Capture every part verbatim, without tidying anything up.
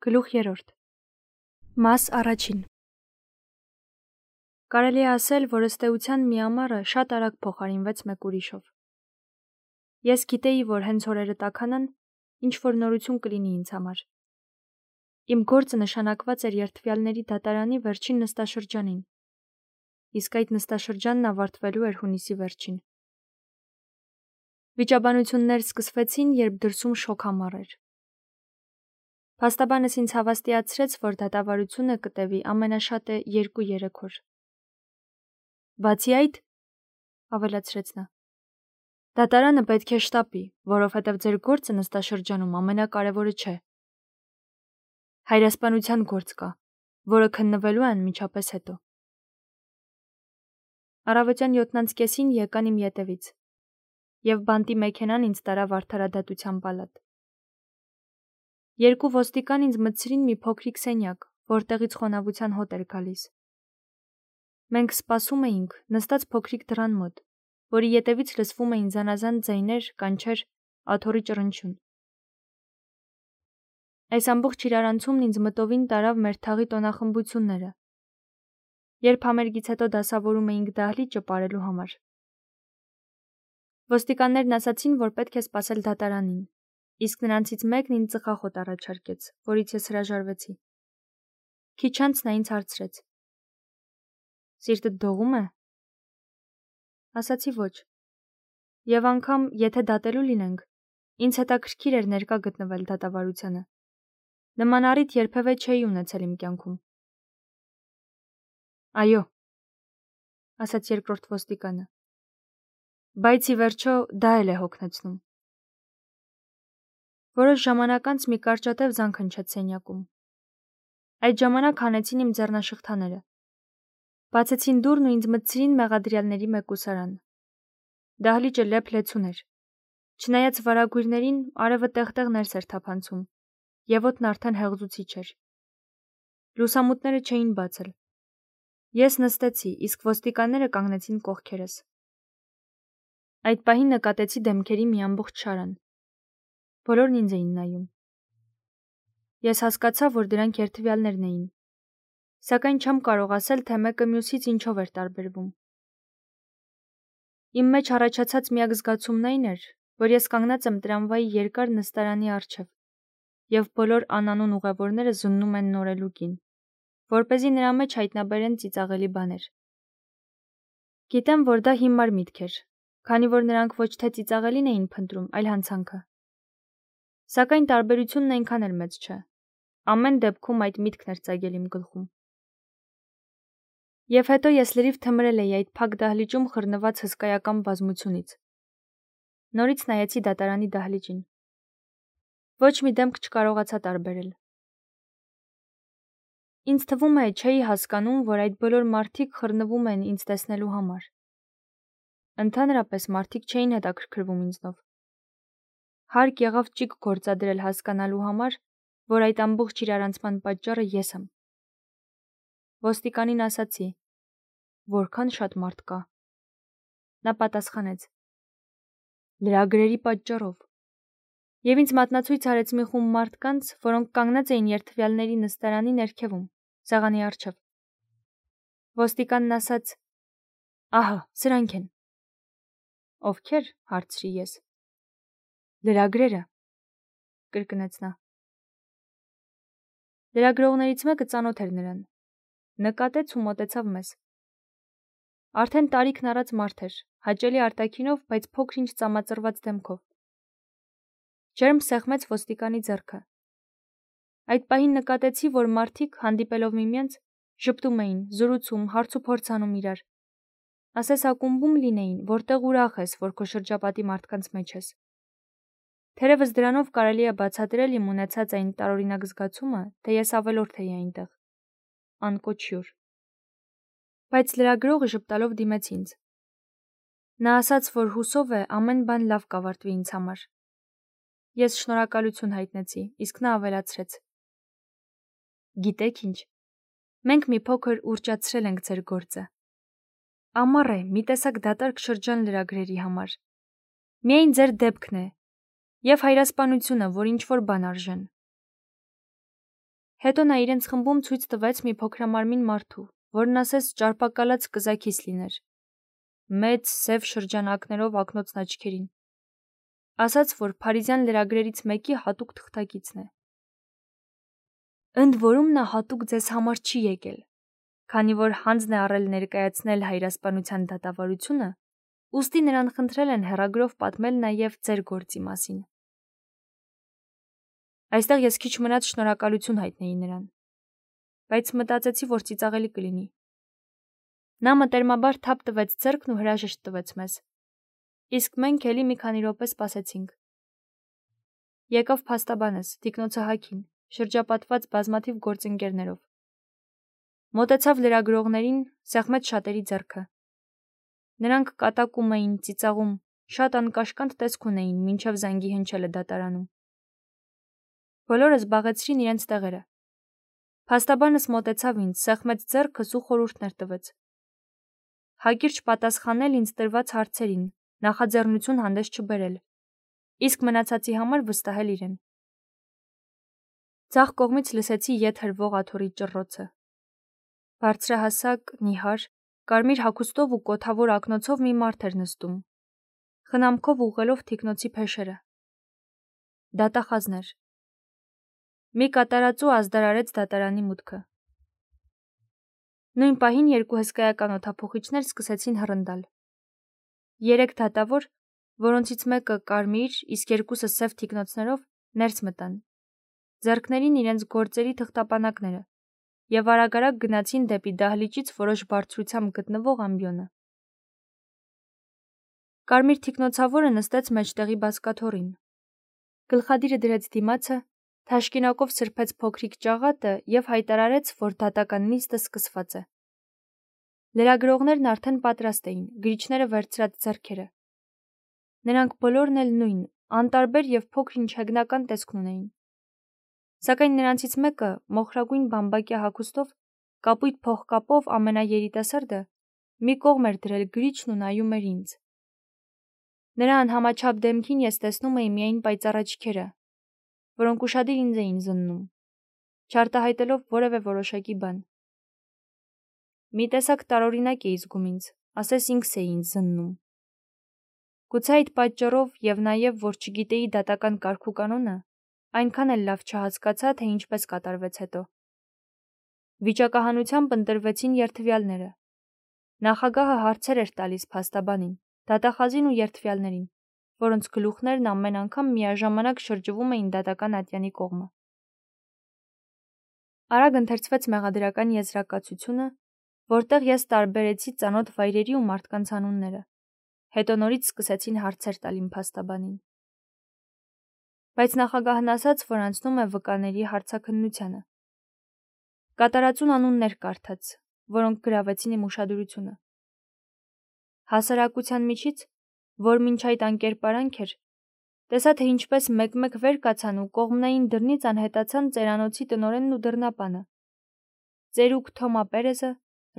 Գլուխ երրորդ Մաս առաջին Կարելի է ասել, որ ըստ էության մի ամառը շատ արագ փոխարինվեց մեկ ուրիշով։ Ես գիտեի, որ հենց օրերը տաքանան, ինչ-որ նորություն կլինի ինձ համար։ Իմ գործը նշանակված էր երդվյալների դատարանի վերջին նստաշրջանին, իսկ այդ նստաշրջանն ավարտվելու էր հունիսի վերջին։ Վիճաբանություններ սկսվեցին, երբ դրսում շոգ ամառ էր։ Փաստաբանս ինձ հավաստիացրեց, որ դատավարությունը կտևի ամենաշատը երկու-երեք օր։ Բացի այդ, ավելացրեց նա, դատարանը պետք է շտապի, որովհետև ձեր գործը նստաշրջանում ամենակարևորը չէ։ Հայրասպանության գործ կա, որը քննվելու է անմիջապես հետո։ Առավոտյան յոթնանց կեսին եկան իմ ետևից, և բանտի մեքենան ինձ տարավ արդարադատության պալատ։ Երկու ոստիկան ինձ մտցրին մի փոքրիկ սենյակ, որտեղից խոնավության հոտ էր գալիս։ Մենք սպասում էինք, նստած փոքրիկ դռան մոտ, որի ետևից լսվում էին զանազան ձայներ, կանչեր, աթոռի ճռնչյուն։ Այս ամբողջ իրարանցումն ինձ մտովին տարավ մեր թաղի տոնախմբությունները, երբ համերգից հետո դասավորում էինք դահլիճը պարելու համար։ Ոստիկաններն ասացին, որ պետք է սպասել դատարանին, իսկ նրանցից մեկն ինձ ծխախոտ առաջարկեց, որից ես հրաժարվեցի։ Քիչ անց նա ինձ հարցրեց. Սիրտդ դողում է։ Ասացի ոչ։ Եվ անգամ, եթե դատելու լինենք, ինձ հետաքրքիր էր ներկա գտնվել դատավարությանը։ Նման առիթ երբևէ չէի ունեցել իմ կյանքում։ Այո, ասաց երկրորդ ոստիկանը, բայց ի վերջո դա էլ է հոգնեցնում։ Որոշ ժամանակ անց մի կարճատև զանգ հնչեց սենյակում։ Այդ ժամանակ հանեցին իմ ձեռնաշղթաները։ Բացեցին դուռն ու ինձ մտցրին մեղադրյալների մեկուսարան։ Դահլիճը լեփ-լեցուն էր։ Չնայած վարագույրներին, արևը տեղ-տեղ ներս էր թափանցում, և օդն արդեն հեղձուցիչ էր։ Լուսամուտները չէին բացել։ Ես նստեցի, իսկ ոստիկանները կանգնեցին կողքերս։ Այդ պահին նկատեցի դեմքերի մի ամբողջ շարան։ Բոլորն ինձ էին նայում։ Ես հասկացա, որ դրանք երդվյալներն էին, սակայն չեմ կարող ասել, թե մեկը մյուսից ինչով էր տարբերվում։ Իմ մեջ առաջացած միակ զգացումն այն էր, որ ես կանգնած եմ տրամվայի երկար նստարանի առջև, և բոլոր անանուն ուղևորները զննում են նորելուկին, որպեսզի նրա մեջ հայտնաբերեն ծիծաղելի բաներ։ Գիտեմ, որ դա հիմար միտք էր, քանի որ նրանք ոչ թե ծիծաղելին էին փնտրում, այլ հանցանքը։ Սակայն տարբերությունն այնքան էլ մեծ չէ։ Ամեն դեպքում այդ միտքն էր ծագել իմ գլխում։ Եվ հետո ես լրիվ թմրել էի այդ փակ դահլիճում խռնված հսկայական բազմությունից։ Նորից նայեցի դատարանի դահլիճին։ Ոչ մի դեմք չկարողացա տարբերել։ Ինձ թվում է, չէի հասկանում, որ այդ բոլոր մարդիկ խռնվում են ինձ տեսնելու համար։ Ընդհանրապես մարդիկ չէին հետաքրքրվում ինձնով։ Հարկ եղավ ճիգ գործադրել հասկանալու համար, որ այդ ամբողջ իրարանցման պատճառը ես եմ։ Ոստիկանին ասացի. Որքան շատ մարդ կա։ Նա պատասխանեց. Լրագրերի պատճառով։ Եվ ինձ մատնացույց արեց մի խումբ մարդկանց, որոնք կանգնած էին երդվյալների նստարանի ներքևում, սեղանի առջև։ Ոստիկանն ասաց. Ահա, սրանք են։ Ովքեր, հարցրի ես։ Լրագրերը, կրկնեց նա։ Լրագրողներից մեկը ծանոթ էր նրան։ Նկատեց ու մոտեցավ մեզ։ Արդեն տարիքն առած մարդ էր, հաճելի արտաքինով, բայց փոքր-ինչ ծամածրված դեմքով։ Ջերմ սեղմեց ոստիկանի ձեռքը։ Այդ պահին նկատեցի, որ մարդիկ, հանդիպելով միմյանց, ժպտում էին, զրուցում, հարցուփորձ անում իրար։ Ասես ակումբում լինեին, որտեղ ուրախ ես, որ քո շրջապատի մարդկանց մեջ ես։ Թերևս դրանով կարելի է բացատրել իմ ունեցած այն տարօրինակ զգացումը, թե ես ավելորդ էի այնտեղ։ Անկոչյուր։ Բայց լրագրողը ժպտալով դիմեց ինձ։ Նա ասաց, որ հուսով է ամեն բան լավ կավարտվի ինձ համար։ Ես շնորհակալություն հայտնեցի, իսկ նա ավելացրեց. Գիտեք ինչ, մենք մի փոքր ուռճացրել ենք ձեր գործը։ Ամառ է, մի տեսակ դատարկ շրջան լրագրերի համար։ Միայն ձեր դեպքն է, և հայրասպանությունը, որ ինչ-որ բան արժեն։ Հետո նա իրենց խմբում ցույց տվեց մի փոքրամարմին մարդու, որն ասես ճարպակալած կզաքիս լիներ, մեծ սև շրջանակներով ակնոցն աչքերին, ասաց, որ փարիզյան լրագրերից մեկի հատուկ թղթակիցն է։ Ընդ որում նա հատուկ ձեզ համար չի եկել, քանի որ հանձն է առել ներկայացնել հայրասպանության դատավարությունը, ուստի նրան խնդրել են հեռագրով պատմել նաև ձեր գործի մասին։ Այստեղ ես քիչ մնաց շնորհակալություն հայտնեի նրան, բայց մտածեցի, որ ծիծաղելի կլինի։ Նա մտերմաբար թափ տվեց ձեռքն ու հրաժեշտ տվեց մեզ, իսկ մենք էլի մի քանի րոպե սպասեցինք։ Եկավ փաստաբանս, թիկնոցը Հաքին, շրջապատված բազմաթիվ գործընկերներով։ Մոտեցավ լրագրողներին, սեղմեց շատերի ձեռքը։ Նրանք կատակում էին, ծիծաղում, շատ անկաշկանդ տեսք ունեին, մինչև զանգի հնչելը դատարանում։ Բոլորը զբաղեցրին իրենց տեղերը։ Փաստաբանս մոտեցավ ինձ, սեղմեց ձեռքս ու խորհուրդներ տվեց։ Հակիրճ պատասխանել ինձ տրված հարցերին, նախաձեռնություն հանդես չբերել, իսկ մնացածի համար վստահել իրեն։ Ձախ կողմից լսեցի ետ հրվող աթոռի ճռռոցը։ Բարձրահասակ, նիհար, կարմիր հագուստով ու կոթավոր ակնոցով մի մարդ էր նստում, խնամքով ուղղելով թիկնոցի փեշերը։ Դատախազն էր։ Մի կատարածու ազդարարեց դատարանի մուտքը։ Նույն պահին երկու հսկայական օդափոխիչներ սկսեցին հռնդալ։ Երեք դատավոր, որոնցից մեկը կարմիր, իսկ երկուսը սև թիկնոցներով, ներս մտան։ Ձեռքներին իրենց գործերի թղթապանակները և արագ-արագ գնացին դեպի դահլիճից որոշ բարձրությամբ գտնվող ամբիոնը։ Կարմիր թիկնոցավորը նստեց մեջտեղի բազկաթոռին։ Գլխադիրը դրեց դիմացը, թաշկինակով սրբեց փոքրիկ ճաղատը և հայտարարեց, որ դատական նիստը սկսված է։ Լրագրողներն արդեն պատրաստ էին, գրիչները վերցրած ձեռքերը։ Նրանք բոլորն էլ նույն, անտարբեր և փոքր-ինչ հեգնական տեսք ունեին։ Սակայն նրանցից մեկը, մոխրագույն բամբակյա հագուստով, կապույտ փողկապով ամենաերիտասարդը, մի կողմ էր դրել գրիչն ու նայում էր ինձ։ Նրա անհամաչափ դեմքին ես տեսնում էի միայն պայծառ աչքերը, որոնք ուշադիր ինձ էին զննում, չարտահայտելով որևէ որոշակի բան։ Մի տեսակ տարօրինակ էի զգում ինձ, ասես ինքս էի ինձ զննում։ Գուցե այդ պատճառով և նաև, որ չգիտեի դատական կարգուկանոնը, այնքան էլ լավ չհասկացա, թե ինչպես կատարվեց հետո։ Վիճակահանությամբ ընտրվեցին երդվյալները։ Նախագահը հարցեր էր տալիս փաստաբանին, դատախազին ու երդվյալներին, որոնց գլուխներն ամեն անգամ միաժամանակ շրջվում էին դատական ատյանի կողմը։ Արագ ընթերցվեց մեղադրական եզրակացությունը, որտեղ ես տարբերեցի ծանոթ վայրերի ու մարդկանց անունները։ Հետո նորից սկսեցին հարցեր տալ իմ փաստաբանին։ Բայց նախագահն ասաց, որ անցնում է վկաների հարցաքննությանը։ Կատարածուն անուններ կարդաց, որոնք գրավեցին իմ ուշադրությունը։ Հասարակության միջից, որ մինչ այդ անկերպարանք էր, տեսա, թե ինչպես մեկ-մեկ վեր կացան ու կողմնային դռնից անհետացան ծերանոցի տնօրենն ու դռնապանը։ Ծերուկ Թոմա Պերեզը,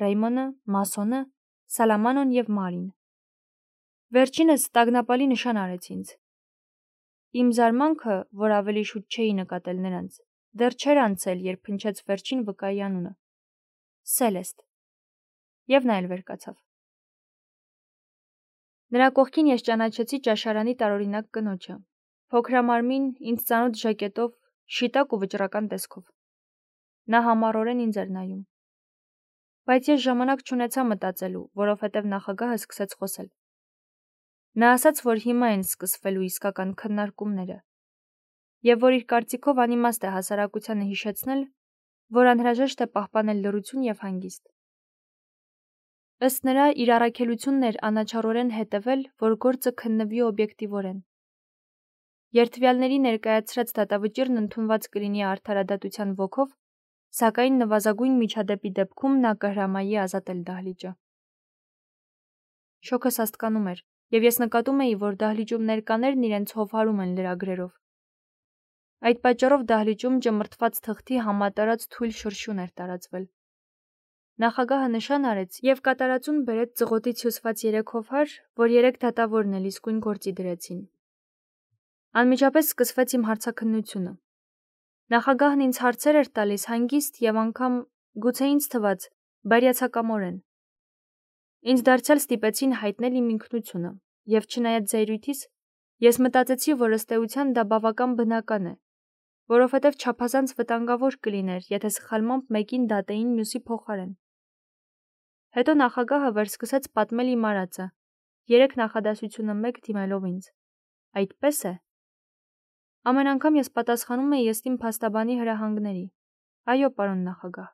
Ռեյմոնը, Մասոնը, Սալամանոն և Մարին։ Վերջինս տագնապալի նշան արեց ինձ։ Իմ զարմանքը, որ ավելի շուտ չէի նկատել նրանց, դեռ չէր անցել, երբ հնչեց վերջին վկայի անունը՝ Սելեստ, և նա էլ վեր կացավ։ Նրա կողքին ես ճանաչեցի ճաշարանի տարօրինակ կնոջը, փոքրամարմին, ինձ ծանոթ ժակետով, շիտակ ու վճռական տեսքով։ Նա համառորեն ինձ էր նայում։ Բայց ես ժամանակ չունեցա մտածելու, որովհետև նախագահը սկսեց խոսել։ Նա ասաց, որ հիմա են սկսվելու իսկական քննարկումները, և որ իր կարծիքով անիմաստ է հասարակությանը հիշեցնել, որ անհրաժեշտ է պահպանել լռություն և հանգիստ։ Ըստ նրա, իր առաքելությունն էր անաչառորեն հետևել, որ գործը քննվի օբյեկտիվորեն։ Երդվյալների ներկայացրած դատավճիռն ընդունված կլինի արդարադատության ոգով, սակայն նվազագույն միջադեպի դեպքում նա կհրամայի ազատել դահլիճը։ Շոգը սաստկանում էր, և ես նկատում էի, որ դահլիճում ներկաներն իրենց հովհարում են լրագրերով։ Այդ պատճառով դահլիճում ճմրթված թղթի համատարած թույլ շրշյուն էր տարածվել։ Նախագահը նշան արեց և կատարածուն բերեց ծղոտից հյուսված երեք հովհար, որ երեք դատավորն էլ իսկույն գործի դրեցին։ Անմիջապես սկսվեց իմ հարցաքննությունը։ Նախագահն ինձ հարցեր էր տալիս հանգիստ և անգամ գուցե ինձ թված բարյացակամորեն։ Ինձ դարձյալ ստիպեցին հայտնել իմ ինքնությունը, և չնայած զայրույթիս, ես մտածեցի, որ ըստ էության դա բավական բնական է, որովհետև չափազանց վտանգավոր կլիներ, եթե սխալմամբ մեկին դատեին մյուսի փոխարեն։ Հետո նախագահը վերսկսեց պատմել իմ արածը, երեք նախադասությունը մեկ դիմելով ինձ։ Այդպես է։ Ամեն անգամ ես պատասխանում էի ըստ իմ փաստաբանի հրահանգների։ Այո, պարոն նախագահ։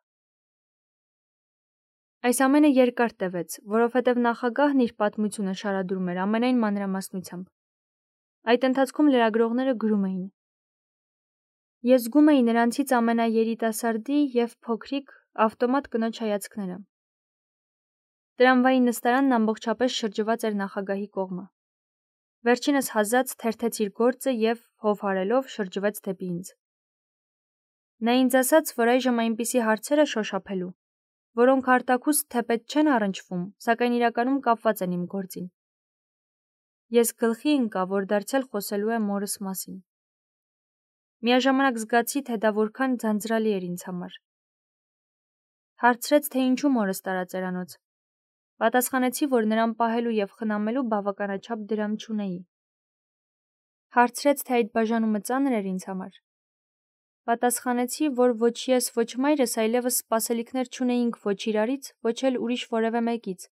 Այս ամենը երկար տևեց, որովհետև նախագահն իր պատմությունը շարադրում էր ամենայն մանրամասնությամբ։ Այդ ընթացքում լրագրողները գրում էին։ Ես զգում էի նրանցից ամենաերիտասարդի և փոքրիկ ավտոմատ կնոջ հայացքները։ Տրամվայի նստարանն ամբողջապես շրջված էր նախագահի կողմը։ Վերջինս հազաց թերթեց իր գործը և, հով հարելով, շրջվեց դեպի ինձ։ Նա ինձ ասաց, որ այժմ այնպիսի հարցեր է շոշափելու, որոնք արտաքուստ թեպետ չեն առնչվում, սակայն իրականում կապված են իմ գործին։ Ես գլխի ընկա, որ դարձյալ խոսելու է մորս մասին։ Միաժամանակ զգացի, թե դա որքան ձանձրալի էր ինձ համար։ Հարցրեց, թե ինչու մորս տարածերանոց։ Պատասխանեցի, որ նրան պահելու և խնամելու բավականաչափ դրամ չունեի։ Հարցրեց, թե այդ բաժանումը ծանր էր ինձ համար։ Պատասխանեցի, որ ոչ ես, ոչ մայրս այլևս սպասելիքներ չունեինք ոչ իրարից, ոչ էլ ուրիշ որևէ մեկից,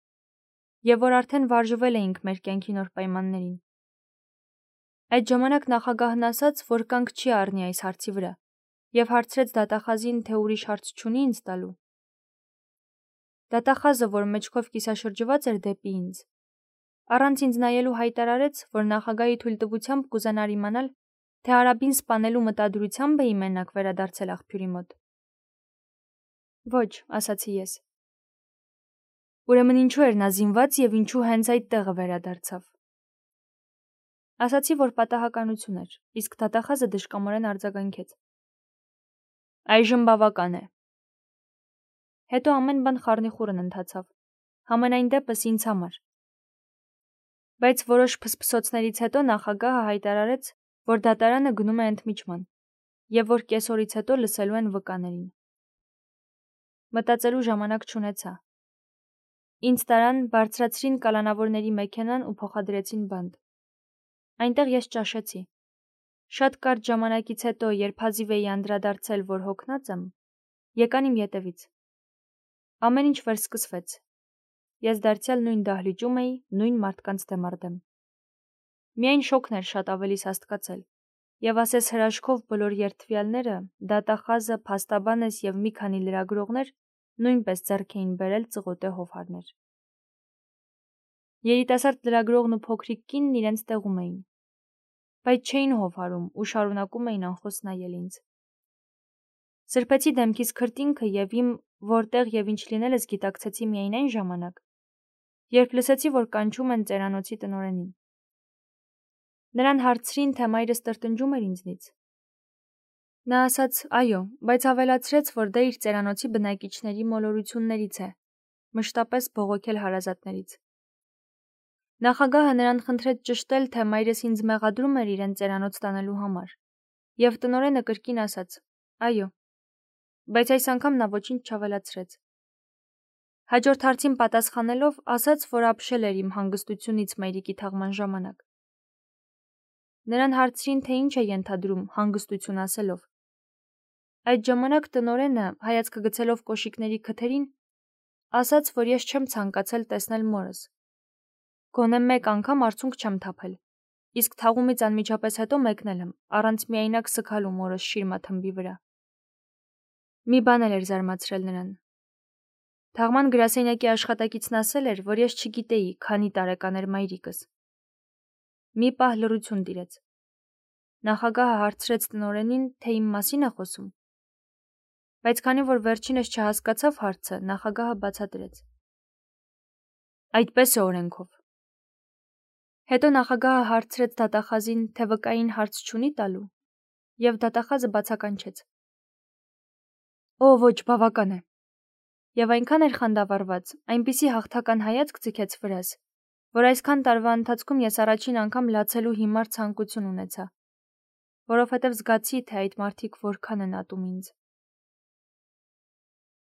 և որ արդեն վարժվել էինք մեր կյանքի նոր պայմաններին։ Այդ ժամանակ նախագահն ասաց, որ կանգ չի առնի այս հարցի վրա, և հարցրեց դատախազին, թե ուրիշ հարց չունի ինձ տալու։ Դատախազը, որ մեջքով կիսաշրջված էր դեպի ինձ, առանց ինձ նայելու հայտարարեց, որ նախագահի թույլտվությամբ կուզենար իմանալ, թե Արաբին սպանելու մտադրությամբ էի մենակ վերադարձել աղբյուրի մոտ։ Ոչ, ասացի ես։ Ուրեմն ինչու էր նա զինված և ինչու հենց այդ տեղը վերադարձավ։ Ասացի, որ պատահականություն էր, իսկ դատախազը դժկամորեն արձագանքեց։ Այժմ բավական է։ Հետո ամեն բան խառնիխուռն ընթացավ, համենայն դեպս ինձ համար։ Բայց որոշ փսփսոցներից հետո նախագահը հայտարարեց, որ դատարանը գնում է ընդմիջման, և որ կեսօրից հետո լսելու են վկաներին։ Մտածելու ժամանակ չունեցա։ Ինձ տարան, բարձրացրին կալանավորների մեքենան ու փոխադրեցին բանտ։ Այնտեղ ես ճաշեցի։ Շատ կարճ ժամանակից հետո, երբ հազիվ էի անդրադարձել, որ հոգնած եմ, եկան իմ ետևից։ Ամեն ինչ վերսկսվեց։ Ես դարձյալ նույն դահլիճում էի, նույն մարդկանց դեմ առ դեմ։ Միայն շոգն էր շատ ավելի սաստկացել, և ասես հրաշքով բոլոր երդվյալները, դատախազը, փաստաբանս և մի քանի լրագրողներ նույնպես ձեռք էին բերել ծղոտե հովհարներ։ Երիտասարդ լրագրողն ու փոքրիկ կինն իրենց տեղում էին, բայց չէին հովհարում ու շարունակում էին անխոս նայել ինձ։ Սրբեցի դեմքիս քրտինքը և իմ որտեղ և ինչ լինելս գիտակցեցի միայն այն ժամանակ, երբ լսեցի, որ կանչում են ծերանոցի տնօրենին։ Նրան հարցրին, թե մայրս տրտնջում էր ինձնից։ Նա ասաց այո, բայց ավելացրեց, որ դա իր ծերանոցի բնակիչների մոլորություններից է, մշտապես բողոքել հարազատներից։ Նախագահը նրան խնդրեց ճշտել, թե մայրս ինձ մեղադրում էր իրեն ծերանոց տանելու համար, և տնօրենը կրկին ասաց այո, բայց այս անգամ նա ոչինչ չավելացրեց։ Հաջորդ հարցին պատասխանելով ասաց, որ ապշել էր իմ հանգստությունից մայրիկի թաղման ժամանակ։ Նրան հարցրին, թե ինչ է ենթադրում հանգստություն ասելով։ Այդ ժամանակ տնօրենը, հայացքը գցելով կոշիկների քթերին, ասաց, որ ես չեմ ցանկացել տեսնել մորս։ Գոնե մեկ անգամ արցունք չեմ թափել, իսկ թաղումից անմիջապես հետո մեկնել եմ, առանց միայնակ սգալու մորս շիրմաթմբի վրա։ Մի բան էլ էր զարմացրել նրան։ Թաղման գրասենյակի աշխատակիցն ասել էր, որ ես չգիտեի, քանի տարեկան էր մայրիկս։ Մի պահ լռություն տիրեց։ Նախագահը հարցրեց տնօրենին, թե իմ մասին է խոսում։ Բայց քանի որ վերջինս չհասկացավ հարցը, նախագահը բացատրեց։ Այդպես է օրենքով։ Հետո նախագահը հարցրեց դատախազին, թե վկային հարց չունի տալու, և դատախազը բացականչեց։ Օ, ոչ, բավական է։ Եվ այնքան էր խանդավառված, այնպիսի հաղթական հայացք ձգեց վրաս, որ այսքան տարվա ընթացքում ես առաջին անգամ լացելու հիմար ցանկություն ունեցա։ որովհետև զգացի, թե այդ մարդիկ որքան են ատում ինձ։